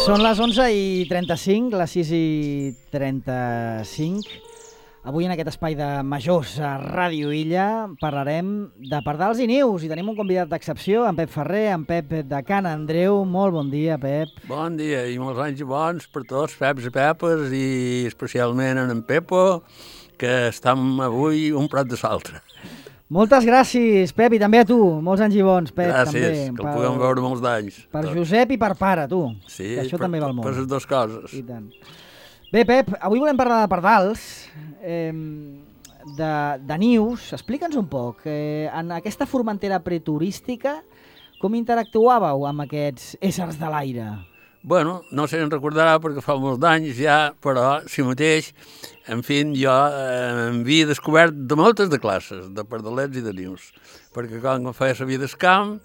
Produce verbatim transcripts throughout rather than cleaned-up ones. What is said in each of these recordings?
Són les onze i trenta-cinc, les sis i trenta-cinc. Avui en aquest espai de majors a Ràdio Illa parlarem de pardals i nius i tenim un convidat d'excepció, en Pep Ferrer, en Pep de Can Andreu. Molt bon dia, Pep. Bon dia i molts anys bons per tots, Peps i Pepes, i especialment en en Pepo, que estem avui un prat de l'altre. Moltes gràcies, Pep, i també a tu. Molts anys i bons, Pep. Gràcies, també, que el puguem veure molts d'anys. Per tot. Josep i per pare, tu. Sí, que això per, també val molt. per les dues coses. I tant. Bé, Pep, avui volem parlar de pardals, eh, de, de nius. Explica'ns un poc, eh, en aquesta formentera preturística, com interactuàveu amb aquests éssers de l'aire? Bueno, no sé si en recordarà perquè fa molts anys ja, però si mateix, en fi, jo eh, em havia descobert de moltes de classes, de pardalets i de nius, perquè quan feia la vida del camp,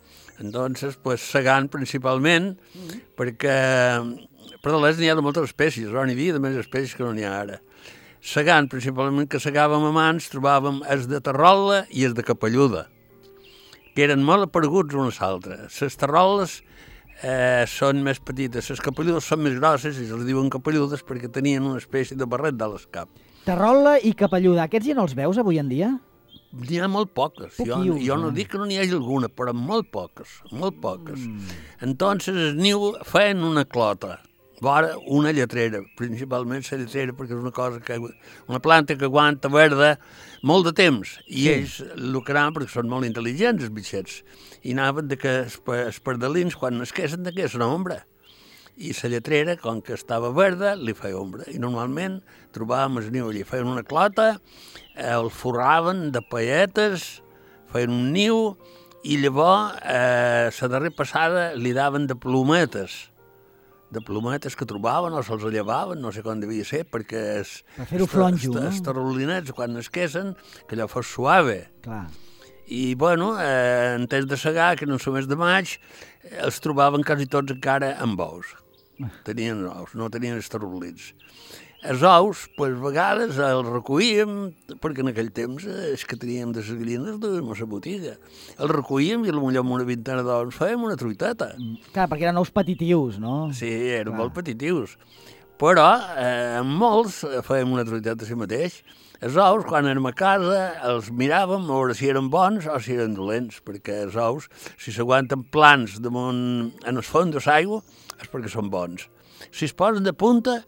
entonces, pues, segant principalment, mm-hmm. perquè pardalets n'hi ha de moltes espècies, però n'hi havia de més espècies que no n'hi ha ara. Segant, principalment, que segàvem a mans, trobàvem els de terrola i els de capelluda, que eren molt apareguts unes altres. Les terroles Eh, són més petites, les capelludes són més grosses i se'ls diuen capelludes perquè tenien una espècie de barret de l'escap. Terrola i capelluda, aquests ja no els veus avui en dia? N'hi ha molt poques, jo, Poquius, jo no eh? dic que no n'hi hagi alguna, però molt poques, molt poques. Mm. Entonces el niu feien una clota, vora una lletrera, principalment la lletrera perquè és una cosa que, una planta que aguanta verda molt de temps, i sí. Ells lucraven perquè són molt intel·ligents, els bitxets, i anaven de que els, els pardalins, quan nasquessin, de que és una ombra. I la lletrera, com que estava verda, li feia ombra. I normalment trobàvem el niu allí, feien una clota, el forraven de pailletes, feien un niu, i llavors eh, la darrera passada li daven de plometes, de plometes que trobaven o se'ls llevaven, no sé com devia ser, perquè es, per fer-ho flonjo, no? Els tarolinets, quan nasquessin, que allò fos suave. Clar. I, bueno, eh, en temps de segar, que no són mes de maig, els trobaven quasi tots encara amb ous. Tenien ous, no tenien els tarolins. Els ous, pues, a vegades els recollíem, perquè en aquell temps eh, és que teníem de les gallines de la botiga. Els recollíem i potser amb una vintena d'ous fèiem una truiteta. Clar, perquè eren ous petitius, no? Sí, eren Clar. molt petitius. Però eh, amb molts fèiem una truiteta a si mateix. Els ous, quan érem a casa, els miràvem a veure si eren bons o si eren dolents, perquè els ous, si s'aguanten plans damunt en el fons de l'aigua, és perquè són bons. Si es posen de punta,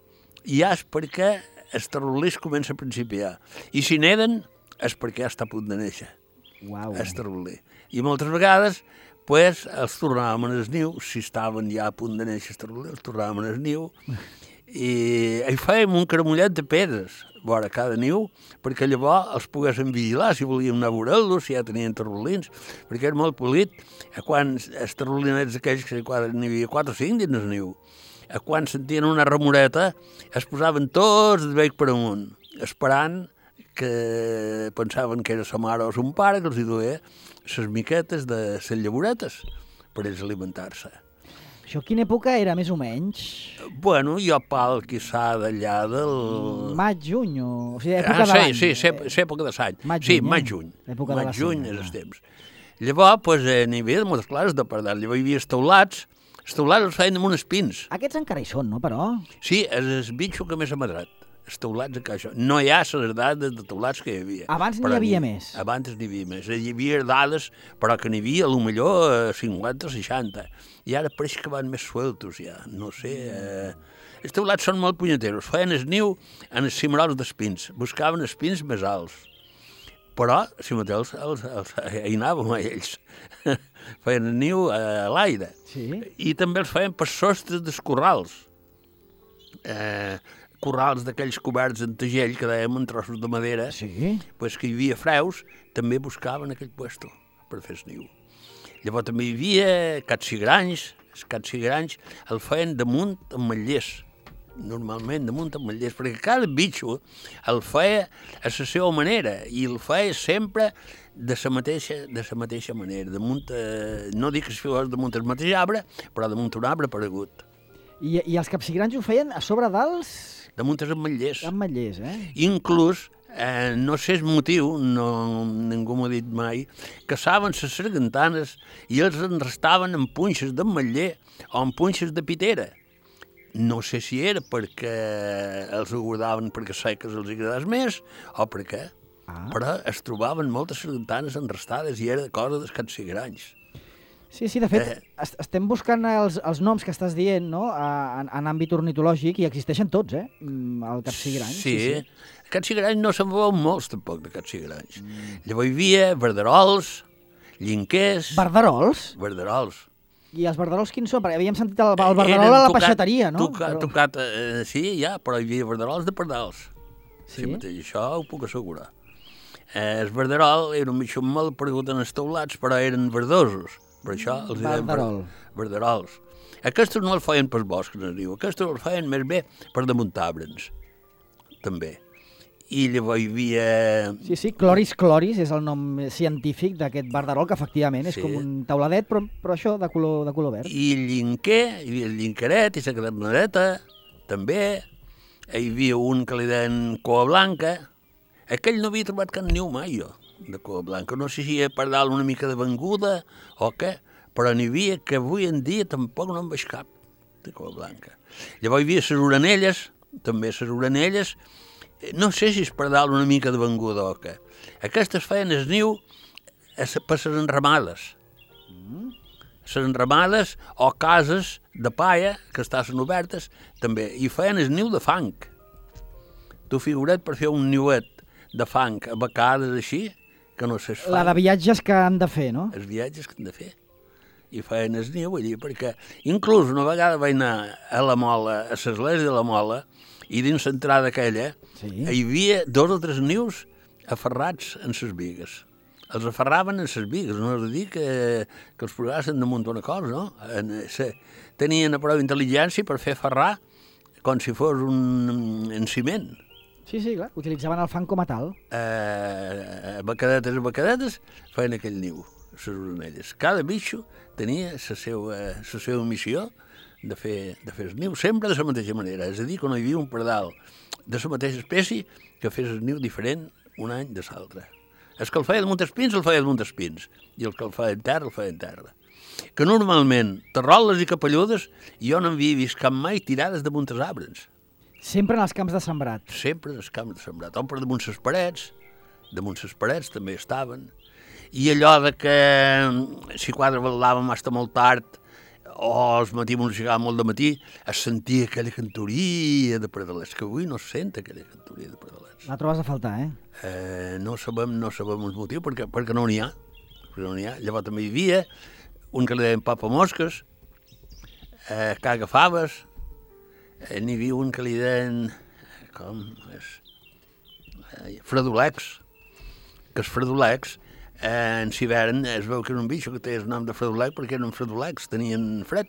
ja és perquè el tarolís comença a principiar. I si neden, és perquè ja està a punt de néixer. Uau. El tarolí. I moltes vegades, pues, els tornàvem en el niu, si estaven ja a punt de néixer el tarolí, els tornàvem en el niu, i hi fèiem un caramullet de pedres vora cada niu, perquè llavors els poguessin vigilar si volíem anar a veure-los, si ja tenien tarolins, perquè era molt polit. Quan els tarolinets aquells, que n'hi havia quatre o cinc dins el niu, quan sentien una remoreta, es posaven tots de bec per amunt, esperant que pensaven que era sa mare o son pare que els hi duia les miquetes de les llaboretes per ells alimentar-se. Això quina època era, més o menys? Bueno, jo pal, quizà, d'allà del... Maig, juny, o... o sigui, època ah, de l'any. Sí, sí, és època de l'any. Sí, maig-juny. L'època de la maig-juny és el temps. Llavors, pues, eh, n'hi havia moltes classes de pardal. Llavors hi havia els teulats. Els teulats els feien amb uns pins. Aquests encara hi són, no, però? Sí, és el bitxo que més ha madrat. Els teulats encara això. No hi ha les dades de teulats que hi havia. Abans n'hi havia més. Abans n'hi havia més. Hi havia dades, però que n'hi havia, potser, cinquanta o seixanta. I ara pareix que van més sueltos, ja. No sé... Eh... Els teulats són molt punyeteros. Feien el niu en els cimerols d'espins. Buscaven espins més alts. Però, si mateix, els, els, hi anàvem a ells. Feien el niu a l'aire. Sí. I també els feien per sostres dels corrals. Eh... corrals d'aquells coberts en tegell que dèiem en trossos de madera, sí. Pues que hi havia freus, també buscaven aquell puesto per fer el niu. Llavors també hi havia capsigranys, els capsigranys el feien damunt amb matllers, normalment damunt amb matllers, perquè cada bitxo el feia a la seva manera i el feia sempre de la mateixa, de la mateixa manera, damunt, eh, no dic que es fos damunt el mateix arbre, però damunt un arbre paregut. I, i els capsigranys ho feien a sobre dels... damunt els ametllers. Ametllers, eh? Inclús, eh, no sé el motiu, no, ningú m'ho ha dit mai, caçaven les sargantanes i els en restaven en punxes d'ametller o en punxes de pitera. no sé si era perquè els ho guardaven perquè seques els agradés més o per què, ah. però es trobaven moltes sargantanes enrestades i era cosa dels capsigranys. Sí, sí, de fet, eh, estem buscant els, els noms que estàs dient, no?, en, en àmbit ornitològic, i existeixen tots, eh?, el capsigrany. Sí, sí, sí. Capsigranys no se'n veuen molts, tampoc, de capsigranys. Mm. Llavors hi havia verderols, llinquers... Verderols? Verderols. I els verderols quins són? Perquè havíem sentit el, el verderol a la tocat, peixateria, no? Tocat, però... tocat eh, sí, ja, però hi havia verderols de pardals. Sí? Sí, mateix, això ho puc assegurar. Eh, el verderol era un mitjó molt perdut en els teulats, però eren verdosos. Per això els deien verderols. Aquests no els feien pels boscs, es diu. Aquests els feien més bé per damunt arbres, també. I llavors hi havia... Sí, sí, Chloris chloris és el nom científic d'aquest verderol, que efectivament és sí. com un tauladet, però, però això de color, de color verd. I el llinquer, hi havia el llinqueret i la cadernadeta, també. Hi havia un que li deien coa blanca. Aquell no havia trobat cap niu mai, jo, de coa blanca. No sé si per dalt una mica de venguda o què, però n'hi havia que avui en dia tampoc no en veig cap de coa blanca. Llavors hi havia les orenelles, també les orenelles. No sé si és per dalt una mica de venguda o què. Aquestes feien el niu per les enramades. Mm. Les enramades o cases de paia que estaven obertes, també. I feien el niu de fang. Tu figura't per fer un niuet de fang a becades així, que no sé... La de viatges que han de fer, no? Els viatges que han de fer. I feien el niu allí, perquè inclús una vegada vaig anar a la Mola, a l'església de la Mola, i dins l'entrada aquella sí. hi havia dos o tres nius aferrats en les bigues. Els aferraven en les bigues, no és a dir que, que els posaven damunt una cosa, no? En, se, tenien prou intel·ligència per fer aferrar com si fos un, un ciment. Sí, sí, clar, utilitzaven el fang com a tal. Eh, becadetes a becadetes feien aquell niu, les orenelles. Cada bitxo tenia la seva, la seva missió de fer, de fer el niu, sempre de la mateixa manera. És a dir, que no hi havia un pardal de la mateixa espècie que fes el niu diferent un any de l'altre. El que el feia damunt els pins, el feia damunt els pins, i el que el feia en terra, el feia en terra. Que normalment, terroles i capelludes, jo no havia vist cap mai tirades damunt els arbres. Sempre en els camps de sembrat. Sempre en els camps de sembrat. O per damunt les parets, damunt les parets també estaven. I allò de que si quatre balàvem fins molt tard, o els matí ens llegava molt de matí, es sentia aquella cantoria de pardalets, que avui no es sent aquella cantoria de pardalets. La trobes a faltar, eh? eh no sabem, no sabem el motiu, perquè, perquè no n'hi ha. Perquè no n'hi ha. Llavors també hi havia un que li deien papamosques, eh, cagafaves, eh, n'hi havia un que li deien, com és, eh, fredolecs, que els fredolecs, Eh, en hivern es veu que era un bitxo que té el nom de fredolec perquè eren fredolecs, tenien fred,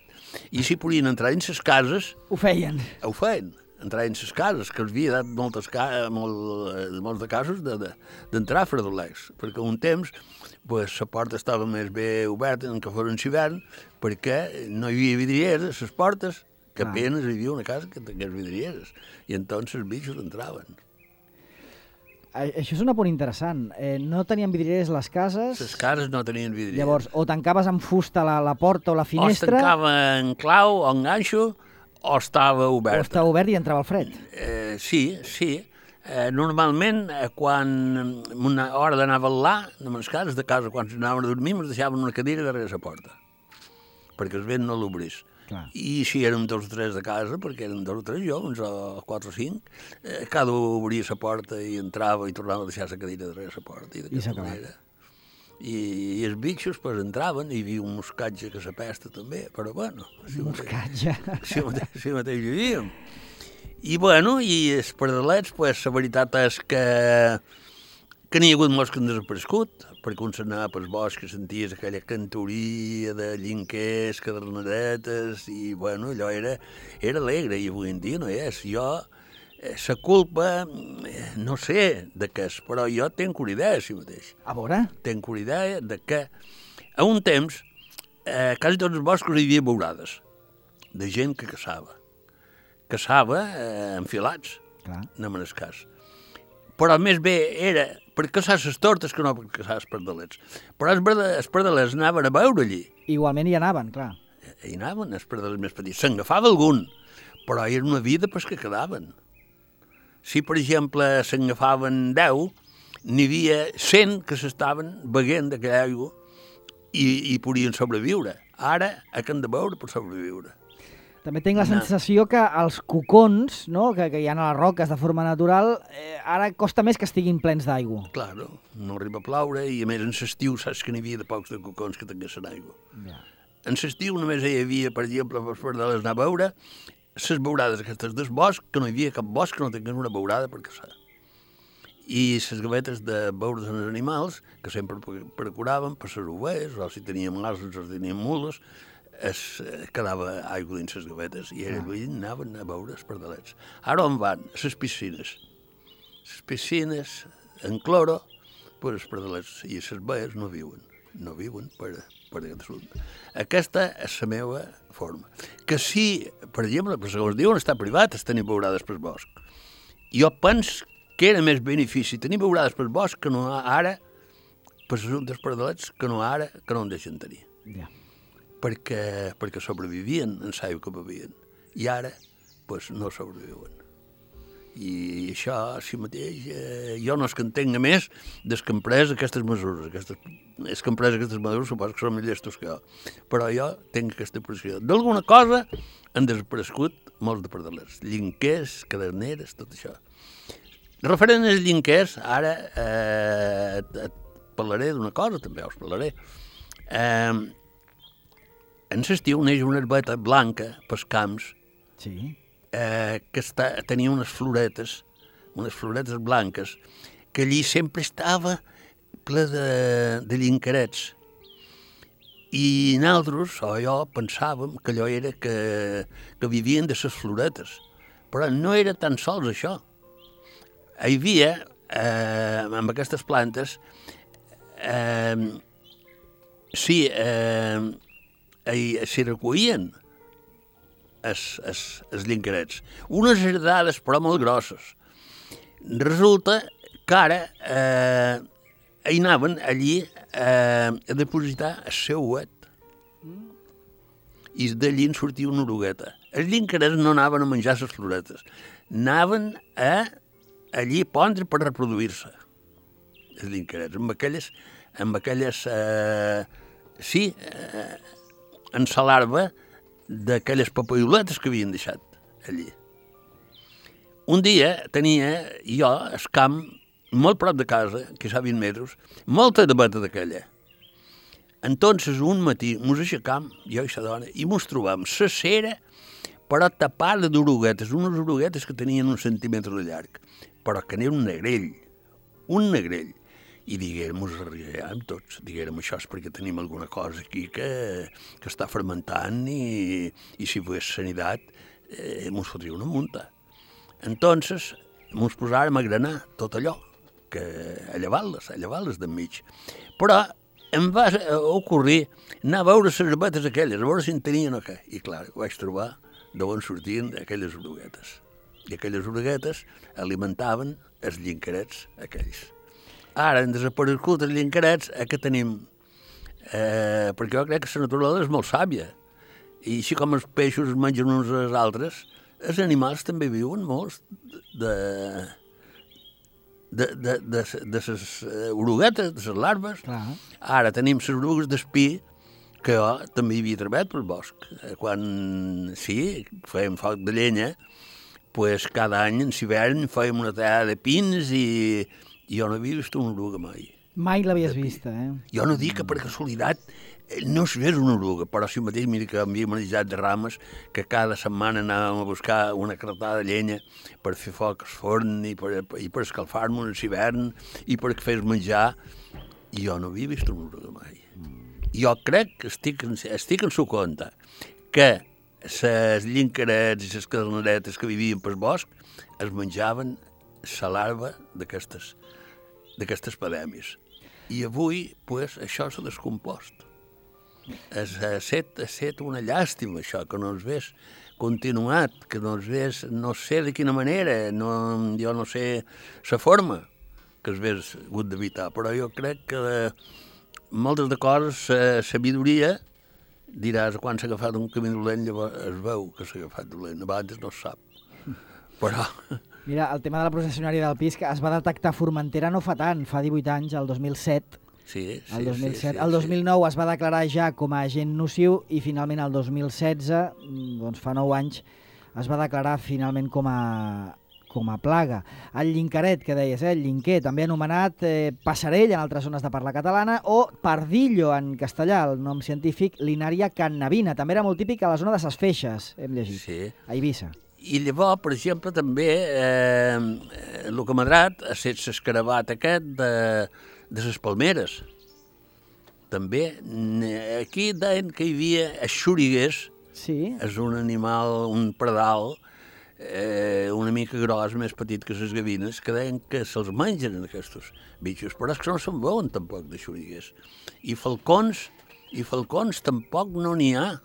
i si podien entrar en les cases... Ho feien. Ho feien, entrar en les cases, que els havia dat moltes ca molt, molts de casos d'entrar de, fredolecs, perquè un temps pues, la porta estava més bé oberta en que fos en hivern, perquè no hi havia vidrieres a les portes, que ah. apenas hi havia una casa que tingués vidrieres, i entonces els bitxos entraven. Això és un apunt interessant. Eh, no tenien vidrieres les cases... Les cases no tenien vidrieres. Llavors, o tancaves amb fusta la, la porta o la finestra... O es tancava en clau o en ganxo, o estava obert. O estava obert i entrava el fred. Eh, sí, sí. Eh, normalment, eh, quan una hora d'anar a velar, en les cases de casa, quan anaven a dormir, ens deixaven una cadira darrere la porta, perquè el vent no l'obrís. Clar. I si érem dos o tres de casa, perquè eren dos o tres joves, o quatre o cinc, eh, cada un obria la porta i entrava i tornava a deixar la cadira darrere la porta. I d'aquesta manera. I, I els bitxos pues, entraven, i hi havia un moscatge que s'apesta també, però bueno... Si moscatge. Si mateix, si mateix hi vivíem. I bueno, i els pardalets, pues, la veritat és que, que n'hi ha hagut molts que han desaparegut, perquè un s'anava pels boscs, senties aquella cantoria de llinquers, caderneretes, i bueno, allò era, era alegre, i avui en dia no és. Jo, eh, la culpa, eh, no sé de què és, però jo tenc una idea, si mateix. A veure? Tenc una idea de que a un temps, eh, quasi tots els boscos hi havia beurades, de gent que caçava. Caçava eh, enfilats, clar, no me n'és cas. Però més bé era per caçar les tortes que no per caçar els pardalets. Però els pardalets anaven a veure allí. Igualment hi anaven, clar. Hi anaven, els pardalets més petits. Se'n agafava algun, però era una vida pues, que quedaven. Si, per exemple, se'n agafaven deu, n'hi havia cent que s'estaven beguent d'aquella aigua i, i podien sobreviure. Ara, que han de beure per sobreviure. També tinc la No. sensació que els cocons, no, que, que hi ha a les roques de forma natural, eh, ara costa més que estiguin plens d'aigua. Claro, no arriba a ploure i a més en l'estiu saps que n'hi havia de pocs de cocons que tinguessin aigua. Ja. En l'estiu només hi havia, per exemple, per poder anar a veure, les beurades aquestes del bosc, que no hi havia cap bosc que no tingués una beurada per caçar. I les gavetes de beure dels animals, que sempre procuraven per les ovelles, o si teníem ases o si teníem mules, es quedava aigua dins les gavetes i era ah. anaven a beure els pardalets. Ara on van? A les piscines. Les piscines, en cloro, pues els pardalets i les baies no viuen. No viuen per, per aquest assumpte. Aquesta és la meva forma. Que si, per exemple, per segons diuen, està privat, es tenir beurades pel bosc. Jo penso que era més benefici tenir beurades pel bosc que no ara, per assumptes pardalets, que no ara, que no en deixen tenir. Ja. Perquè, perquè sobrevivien en l'aigua que bevien. I ara, pues, no sobreviuen. I això, si mateix, eh, jo no és que entenga més des que han pres aquestes mesures. Aquestes, és que han pres aquestes mesures, suposo que són més llestos que jo. Però jo tinc aquesta pressió. D'alguna cosa han desaparegut molts de pardalers. Llinquers, caderneres, tot això. Referent als llinquers, ara eh, et parlaré d'una cosa, també us parlaré. Eh, en l'estiu neix una herbeta blanca pels camps, Sí. eh, que està, tenia unes floretes, unes floretes blanques, que allí sempre estava ple de, de llinquerets. I nosaltres, o jo, pensàvem que allò era que, que vivien de les floretes. Però no era tan sols això. Hi havia, eh, amb aquestes plantes, eh, sí, eh, s'hi recollien els, els, els llinquerets. Unes heredades, però molt grosses. Resulta que ara eh, hi anaven allí eh, a depositar el seu ouet. I d'allí en sortia una orugueta. Els llinquerets no anaven a menjar les floretes, anaven a allí pondre per reproduir-se. Els llinquerets, amb aquelles, amb aquelles eh, sí, eh, en la larva d'aquelles papaioletes que havien deixat allí. Un dia tenia jo el camp molt prop de casa, que és a vint metres, molta de beta d'aquella. Entonces, un matí, mos aixecam, jo i la dona, i mos trobam la cera, però tapada d'oruguetes, unes oruguetes que tenien un centímetre de llarg, però que n'era un negrell, un negrell. I diguem, mos arribem tots, diguem, això és perquè tenim alguna cosa aquí que, que està fermentant i, i si fos sanitat, eh, mos fotria una munta. Entonces, mos posàrem a granar tot allò, que a llevar-les, a llevar-les d'enmig. Però em va ocorrir anar a veure les herbetes aquelles, a veure si en tenien o què. I clar, ho vaig trobar d'on sortien aquelles oruguetes. I aquelles oruguetes alimentaven els llinquerets aquells. Ara han desaparegut els llinquerets, eh, que tenim, eh, perquè jo crec que la naturalesa és molt sàvia. I així com els peixos es mengen uns als altres, els animals també viuen molts de, de, de, de, de les oruguetes, de les larves. Clar. Ara tenim les orugues d'espí, que jo també hi havia treballat pel bosc. Quan, sí, fèiem foc de llenya, pues cada any en l'hivern fèiem una tallada de pins i jo no havia vist una oruga mai. Mai l'havies vista, eh? Jo no dic que per casualitat no es vés una oruga, però si mateix mira que havíem manejat de rames, que cada setmana anàvem a buscar una carretada de llenya per fer foc al forn i per, i per escalfar-nos en l'hivern i per fer menjar, i jo no havia vist una oruga mai. Jo crec que estic, estic en su compte que les llinquerets i les caderneretes que vivien pel bosc es menjaven la larva d'aquestes d'aquestes pandèmies. I avui, pues, això s'ha descompost. Ha set, ha set una llàstima, això, que no ens ves continuat, que no ens ves, no sé de quina manera, no, jo no sé la forma que es ves hagut d'evitar, però jo crec que de, moltes de coses, la sabidoria diràs, quan s'ha agafat un camí dolent, llavors es veu que s'ha agafat dolent, abans no es sap. Però... Mira, el tema de la processionària del pis, que es va detectar a Formentera no fa tant, fa divuit anys, el dos mil set. Sí, sí, el dos mil set. sí, sí, el dos mil nou sí. es va declarar ja com a agent nociu i finalment el dos mil setze, doncs fa nou anys, es va declarar finalment com a, com a plaga. El llinqueret, que deies, eh? El llinquer, també anomenat eh, passarell en altres zones de parla catalana, o pardillo en castellà, el nom científic, Linaria cannabina. També era molt típic a la zona de Ses Feixes, hem llegit, Sí. a Eivissa. I llavors, per exemple, també eh, el que m'ha agradat ha estat l'escarabat aquest de, de les palmeres. També, aquí deien que hi havia xuriguers, Sí. és un animal, un pardal, eh, una mica gros, més petit que les gavines, que deien que se'ls mengen aquests bitxos, però és que no se'n veuen tampoc de xuriguers. I falcons, i falcons tampoc no n'hi ha,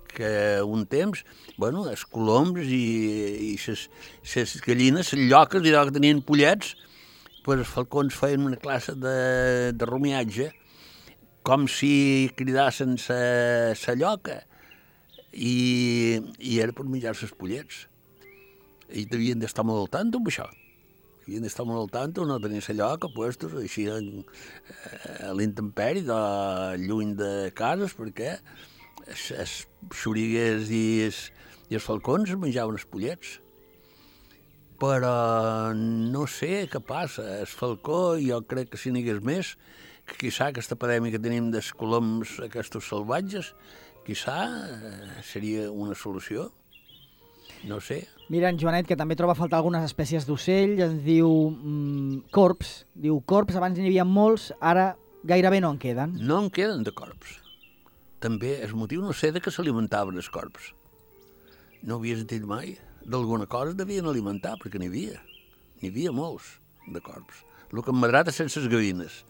que un temps, bueno, els coloms i les gallines, les lloques, i que tenien pollets, pues els falcons feien una classe de, de rumiatge, com si cridassen la lloca, i, i era per menjar-se els pollets. I devien d'estar molt al tanto amb això. Havien d'estar molt al tanto, no tenir la lloca puestos així en, a l'intemperi, lluny de cases, perquè els xuriguers i els, i els falcons menjaven els pollets. Però no sé què passa. El falcó, jo crec que si n'hi hagués més, que quizà aquesta epidèmia que tenim dels coloms aquests salvatges, quizà seria una solució. No sé. Mira, en Joanet, que també troba a faltar algunes espècies d'ocell, ens diu mm, corps. Diu corps, abans n'hi havia molts, ara gairebé no en queden. No en queden de corps. També el motiu no sé de què s'alimentaven els corps. No havia sentit mai. D'alguna cosa devien alimentar, perquè n'hi havia. N'hi havia molts de corps. El que m'ha agradat és les gavines.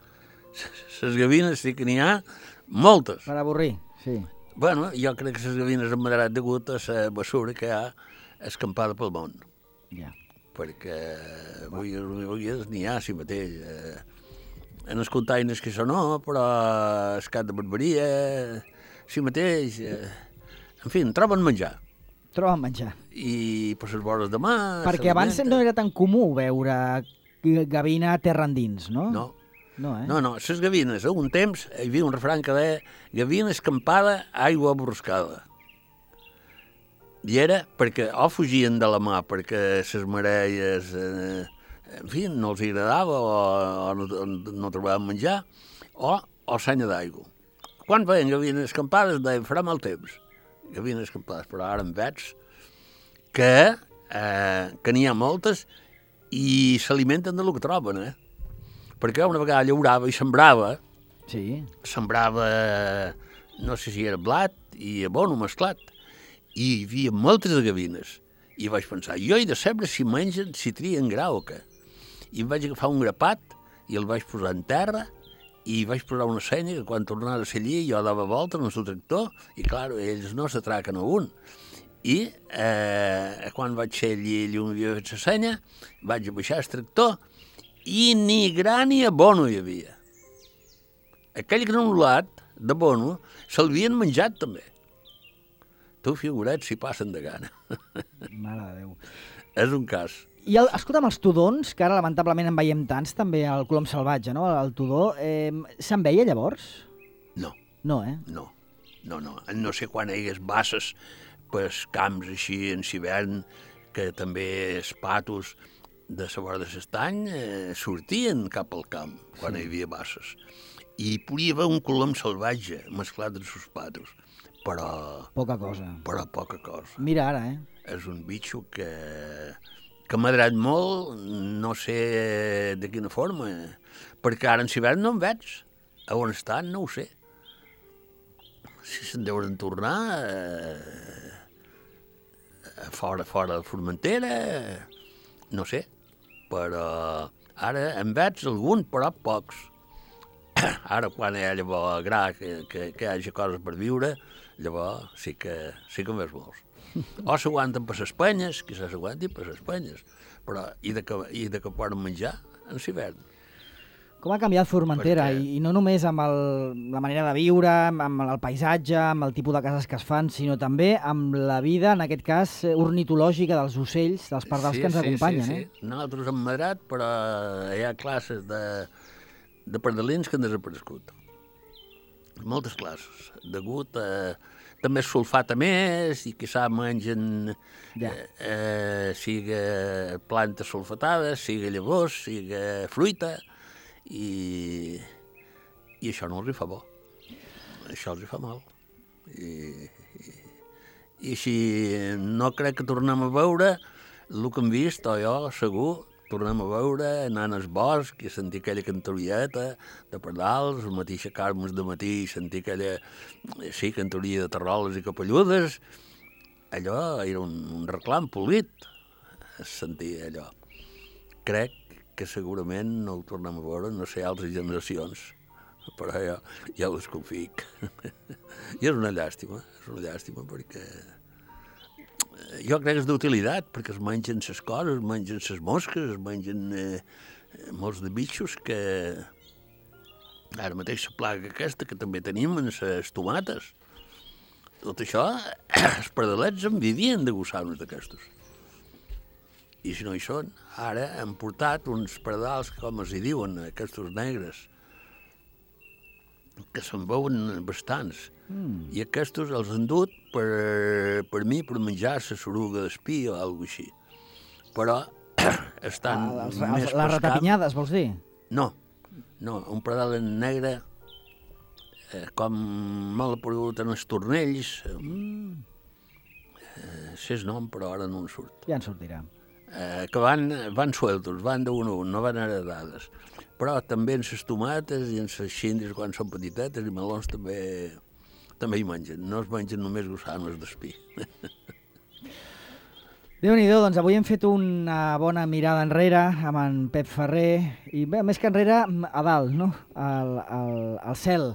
Les gavines sí que n'hi ha moltes. Per avorrir, sí. Bueno, jo crec que les gavines han agradat degut a la bessura que hi ha escampada pel món. Ja. Perquè avui, avui n'hi ha si mateix. En els containers que això no, però el cap de barberia, si mateix. En fi, troben menjar. Troben menjar. I per les vores de mar... Perquè abans no era tan comú veure gavina a terra endins, no? No. No, eh? No, no, les gavines, a un temps hi havia un refrany que deia gavina escampada, aigua borrascada. I era perquè o fugien de la mà perquè les mareies, eh, en fi, no els agradava o, o no, no trobaven menjar, o, o senya d'aigua. Quan veien gavines escampades deien farà mal temps. Gavines escampades, però ara en veig que, eh, que n'hi ha moltes i s'alimenten del que troben, eh? Perquè una vegada llaurava i sembrava, sí. sembrava, no sé si era blat i abono mesclat, i hi havia moltes de gavines. I vaig pensar, jo he de saber si mengen, si trien gra o què. I em vaig agafar un grapat i el vaig posar en terra i vaig posar una senya que quan tornava a ser allí jo dava volta en el seu tractor i, clar, ells no s'atraquen a un. I eh, quan vaig ser allí i on havia fet la senya, vaig baixar el tractor i ni gra ni abono hi havia. Aquell granulat d'abono se'l havien menjat també. Tu figura't si passen de gana. Mare de Déu. És un cas. I el, escolta'm, els tudons, que ara lamentablement en veiem tants, també el colom salvatge, no? El tudó, eh, se'n veia llavors? No. No, eh? No, no, no. No sé quan hi hagués basses per camps així en hivern, que també els patos de la vora de l'estany eh, sortien cap al camp quan sí. hi havia basses. I podia haver un colom salvatge mesclat amb els patos, però... Poca cosa. Però poca cosa. Mira ara, eh? És un bitxo que, que m'ha agradat molt, no sé de quina forma, perquè ara en hivern no en veig. A on estan no ho sé. Si se'n deuen tornar eh, fora, fora de Formentera, no sé. Però ara en veig algun, però pocs. Ara, quan hi ha llavors gra, que, que, que hi hagi coses per viure, llavors sí que, sí que en veig molts. O s'aguanten per les penyes, quizás s'aguantin per les penyes, però i de que, i de que poden menjar en l'hivern. Com ha canviat Formentera, Perquè... I, i no només amb el, la manera de viure, amb el paisatge, amb el tipus de cases que es fan, sinó també amb la vida, en aquest cas, ornitològica dels ocells, dels pardals sí, que ens sí, acompanyen. Sí, sí. Eh? Nosaltres hem madrat, però hi ha classes de, de pardalins que han desaparegut. Moltes classes, degut a... També es sulfata més i quizà mengen ja. eh, eh, siga plantes sulfatades, siga llavors, siga fruita, i, i això no els hi fa bo. Això els hi fa mal. I, i, i si no crec que tornem a veure el que hem vist, o jo segur, tornem a veure, anant al bosc i sentir aquella cantorieta de pardals, el matí aixecar-nos de matí i sentir aquella, sí, cantoria de terroles i capelludes. Allò era un, un reclam polit, sentir allò. Crec que segurament no ho tornem a veure, no sé, altres generacions, però jo ja ho desconfic. I és una llàstima, és una llàstima perquè jo crec que és d'utilitat, perquè es mengen les coses, es mengen les mosques, es mengen eh, molts de bitxos que ara mateix la plaga aquesta que també tenim en les tomates. Tot això, els pardalets en vivien de gosar-nos d'aquestos. I si no hi són, ara han portat uns pardals, com es hi diuen, aquests negres, que se'n veuen bastants. Mm. I aquests els han dut per, per mi per menjar la soruga d'espí o alguna així. Però estan ah, els, més els, les ratapinyades, vols dir? No, no, un pardal en negre, eh, com m'ha aparegut en els tornells, mm. eh, sé el nom, però ara no en surt. Ja en sortirà. Eh, que van, van sueltos, van d'un a un, no van heredades. Però també en les tomates i en les xindres quan són petitetes i melons també, també hi mengen. No es mengen només gusanos d'espí. Déu-n'hi-do, doncs avui hem fet una bona mirada enrere amb en Pep Ferrer i bé, més que enrere, a dalt, no? al, al, al cel,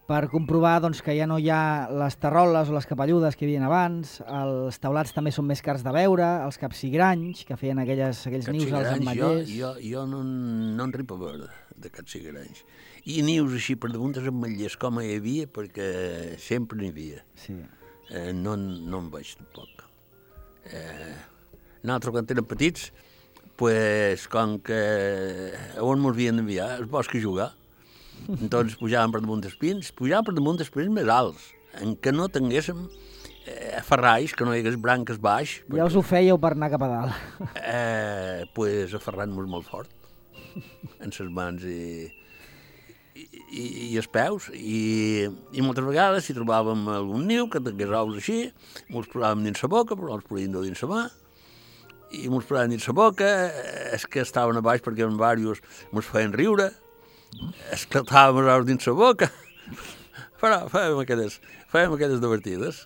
per comprovar doncs, que ja no hi ha les terroles o les capelludes que hi havia abans, els taulats també són més cars de veure, els capsigranys, que feien aquelles, aquells nius als ametllers. Jo, jo, jo no, no en ripo a veure de capsigranys. I nius així per damunt dels ametllers com hi havia, perquè sempre n'hi havia. Sí. Eh, no, no en veig tampoc. Eh, nosaltres quan érem petits, pues, com que on ens havien d'enviar, al bosc a jugar, doncs pujàvem per damunt dels pins, pujàvem per damunt dels pins més alts, en què no tinguéssim eh, ferralls, que no hi hagués branques baix. Ja perquè, us ho fèieu per anar cap a dalt. Eh, pues aferrant-nos molt fort, en les mans i, i, i, i els peus, i, i moltes vegades si trobàvem algun niu que tingués ous així, mos posàvem dins la boca, però els podíem dur dins la mà, i mos posàvem dins la boca, és que estaven a baix perquè en diversos mos feien riure, esclatàvem els ous dins la boca, però fèiem aquelles, fèiem aquelles divertides.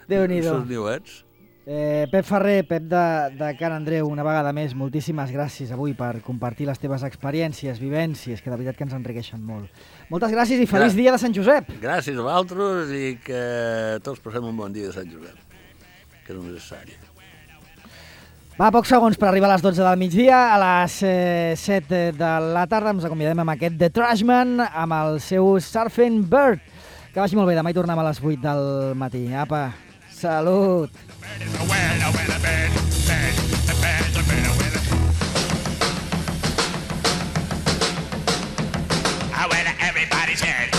Déu-n'hi-do. Els niuets. Eh, Pep Ferrer, Pep de, de Can Andreu, una vegada més, moltíssimes gràcies avui per compartir les teves experiències, vivències, que de veritat que ens enriqueixen molt. Moltes gràcies i feliç Gràcies. dia de Sant Josep. Gràcies a vosaltres i que tots passem un bon dia de Sant Josep, que és necessari. Va, pocs segons per arribar a les dotze del migdia. A les eh, set de la tarda ens acomiadem amb aquest The Trashman, amb el seu Surfing Bird. Que vagi molt bé, demà hi tornem a les vuit del matí. Apa, salut! Everybody's head.